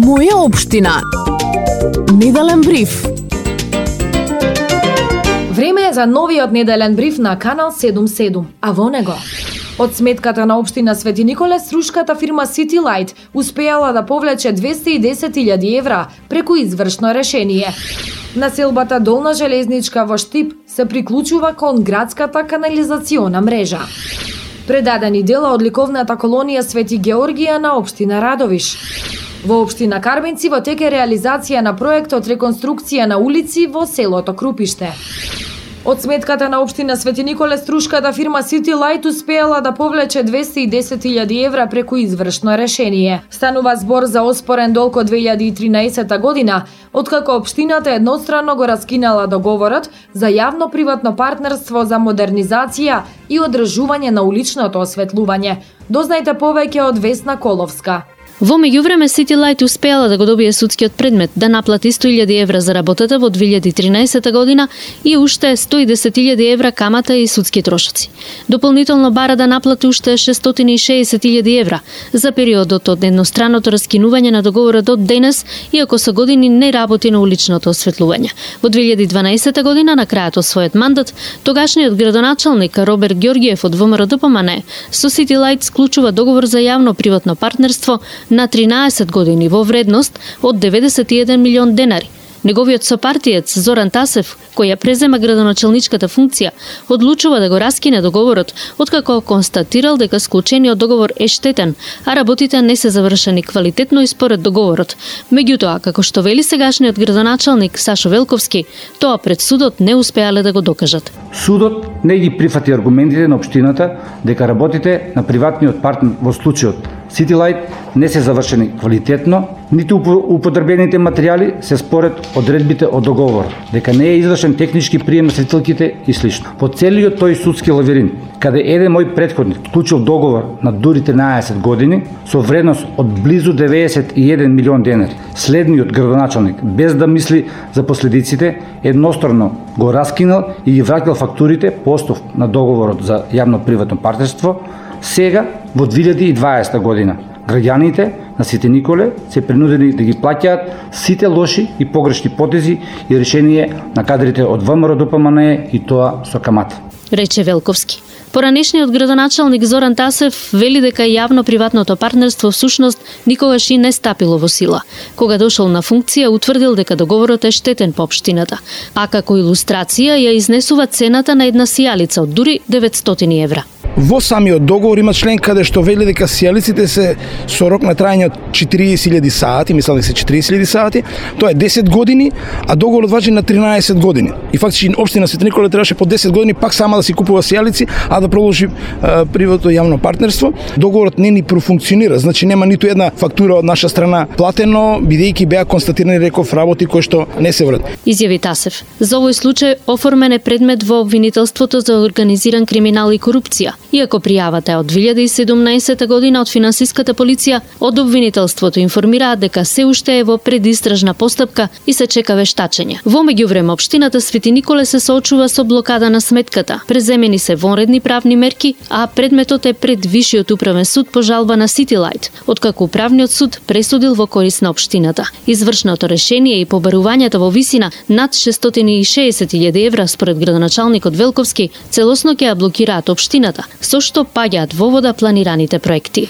Моја општина. Неделен бриф. Време е за новиот неделен бриф на Канал 77, а во него од сметката на општина Свети Николе, струшката фирма City Light успеала да повлече 210.000 евра преку извршно решение. Населбата Долна Железничка во Штип се приклучува кон градската канализациона мрежа. Предадени дела од ликовната колонија Свети Георгија на општина Радовиш. Во општина Карбенци во тек е реализација на проектот реконструкција на улици во селото Крупиште. Од сметката на општина Свети Николе, струшката фирма City Light успеала да повлече 210.000 евра преку извршно решение. Станува збор за оспорен долг од 2013 година, откако општината едностранно го раскинала договорот за јавно-приватно партнерство за модернизација и одржување на уличното осветлување. Дознајте повеќе од Весна Коловска. Во меѓувреме City Light успеала да го добие судскиот предмет да наплати 100.000 евра за работата во 2013 година и уште 110.000 евра камата и судски трошоци. Дополнително бара да наплати уште 660.000 евра за периодот од едностранното раскинување на договорот од денес, иако со години не работи на уличното осветлување. Во 2012 година, на крајот од својот мандат, тогашниот градоначалник Роберт Ѓорѓиев од ВМРО ДПМН со City Light склучува договор за јавно-приватно партнерство на 13 години во вредност од 91 милион денари. Неговиот сопартиец Зоран Тасев, кој ја презема градоначалничката функција, одлучува да го раскине договорот, откако констатирал дека склучениот договор е штетен, а работите не се завршени квалитетно и според договорот. Меѓутоа, како што вели сегашниот градоначалник Сашо Велковски, тоа пред судот не успеале да го докажат. Судот не ги прифати аргументите на општината дека работите на приватниот партнер во случајот City Light не се завршени квалитетно, ниту употребените материјали се според одредбите од договорот, дека не е извршен технички прием на светилките и слично. По целиот тој судски лавирин, каде еден мој претходник вклучил договор на дури 13 години со вредност од близу 91 милион денари, следниот градоначалник, без да мисли за последиците, едностранно го раскинал и ги враќал фактурите по основ на договорот за јавно-приватно партнерство. Сега, во 2020 година, граѓаните на Свети Николе се принудени да ги плаќаат сите лоши и погрешни потези и решение на кадрите од ВМРО ДПМН и тоа со камата, рече Велковски. Поранешниот градоначалник Зоран Тасев вели дека јавно-приватното партнерство всушност никогаш и не стапило во сила. Кога дошол на функција, утврдил дека договорот е штетен по општината, а како илустрација ја изнесува цената на една сијалица од дури 900 евра. Во самиот договор има член каде што вели дека сијалиците се со рок на трајање од 40.000 сати, мислам дека се 40.000 сати, тоа е 10 години, а договорот важи на 13 години. И фактички општина Свети Николе требаше по 10 години пак сама да си купува сијалици, а да продолжи приватно јавно партнерство. Договорот не ни профункционира, значи нема ниту една фактура од наша страна платено, бидејќи беа констатирани, реков, работи кои што не се врат. Изјави Тасев. За овој случај оформен е предмет во обвинителството за организиран криминал и корупција. Иако пријавата е од 2017 година од финансиската полиција, од обвинителството информираат дека се уште е во предистражна постапка и се чека вештачење. Во меѓувреме општината Свети Николе се соочува со блокада на сметката. Преземени се вонредни правни мерки, а предметот е пред Вишиот управен суд по жалба на City Light, откако управниот суд пресудил во корист на општината. Извршното решение и побарувањето во висина над 660.000 евра според градоначалникот Велковски целосно ќе ја блокираат општината, со што паѓаат во вода планираните проекти.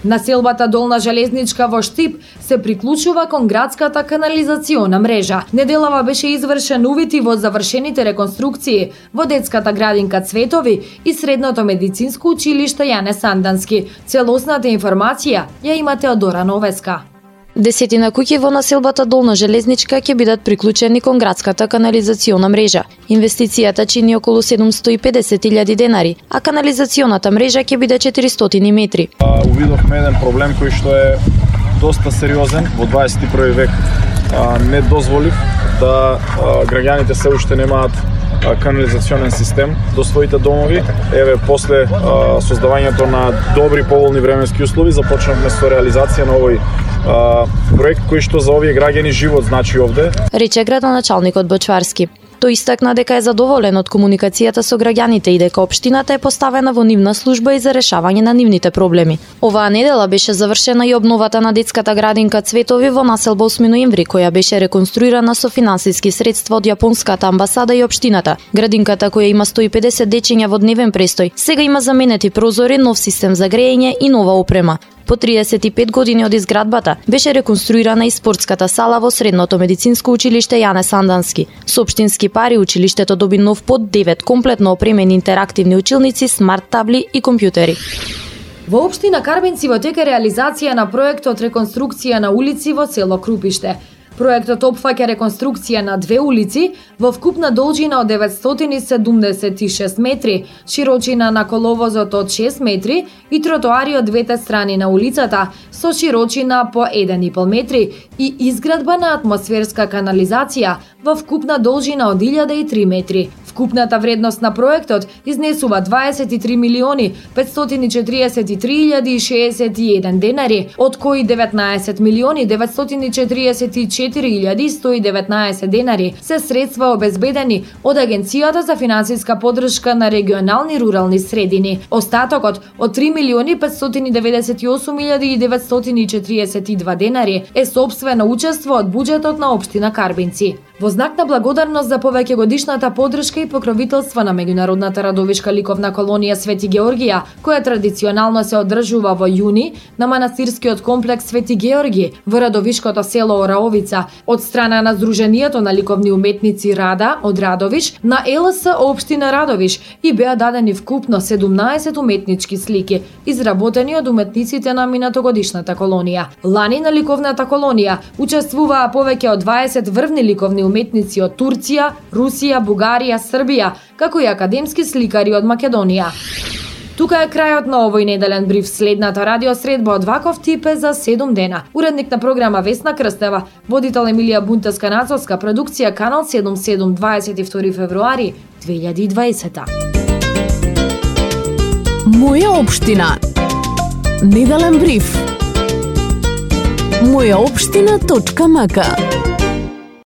Населбата Долна Железничка во Штип се приклучува кон градската канализациона мрежа. Неделава беше извршен увид и во завршените реконструкции во детската градинка Цветови и средното медицинско училиште Јане Сандански. Целосната информација ја имате од Дора Новеска. Десетина куќи во населбата Долна Железничка ќе бидат приклучени кон градската канализациона мрежа. Инвестицијата чини околу 750.000 денари, а канализационата мрежа ќе биде 400 метри. Увидовме еден проблем кој што е доста сериозен во 21 век. Не дозволив да граѓаните се уште немаат канализационен систем до своите домови. Еве, после создавањето на добри поволни временски услови, започнавме со реализација на овој проект кој што за овие граѓани живот значи овде. Рече градоначалникот Бочварски. Тој истакна дека е задоволен од комуникацијата со граѓаните и дека општината е поставена во нивна служба и за решавање на нивните проблеми. Оваа недела беше завршена и обновата на детската градинка Цветови во населба 8 ноември, која беше реконструирана со финансиски средства од јапонската амбасада и општината. Градинката, која има 150 дечиња во дневен престој, сега има заменети прозори, нов систем за грејење и нова опрема. По 35 години од изградбата беше реконструирана и спортската сала во Средното медицинско училиште Јане Сандански. Со општински пари училиштето доби нов под 9 комплетно опремени интерактивни училници, смарт табли и компјутери. Во општина Карбенци во тек е реализација на проектот реконструкција на улици во село Крупиште. Проектот опфаќа реконструкција на 2 улици во вкупна должина од 976 метри, широчина на коловозот од 6 метри и тротоари од двете страни на улицата со широчина по 1,5 метри и изградба на атмосферска канализација во вкупна должина од 1003 метри. Вкупната вредност на проектот изнесува 23 милиони 543.061 денари, од кои 19 милиони 944.119 денари се средства обезбедени од Агенцијата за финансиска поддршка на регионални рурални средини. Остатокот од 3 милиони 598.942 денари е сопствено учество од буџетот на општина Карбинци. Во знак на благодарност за повеќегодишната поддршка и покровителство на меѓународната радовишка ликовна колонија Свети Георгија, која традиционално се одржува во јуни на манастирскиот комплекс Свети Георги во радовишкото село Ораовица, од страна на Сдруженијето на ликовни уметници Рада од Радовиш на ЛС општина Радовиш и беа дадени вкупно 17 уметнички слики, изработени од уметниците на минатогодишната колонија. Лани на ликовната колонија учествуваа повеќе од 20 врвни ликовни уметници од Турција, Русија, Бугарија, Србија, како и академски сликари од Македонија. Тука е крајот на овој неделен бриф. Следната радиосредба од ваков тип е за 7 дена. Уредник на програма Весна Крстева, водител Емилија Бунтеска-Нацовска, продукција Канал 77, 22 февруари 2020. Моја општина. Неделен бриф. Мојаопштина.мк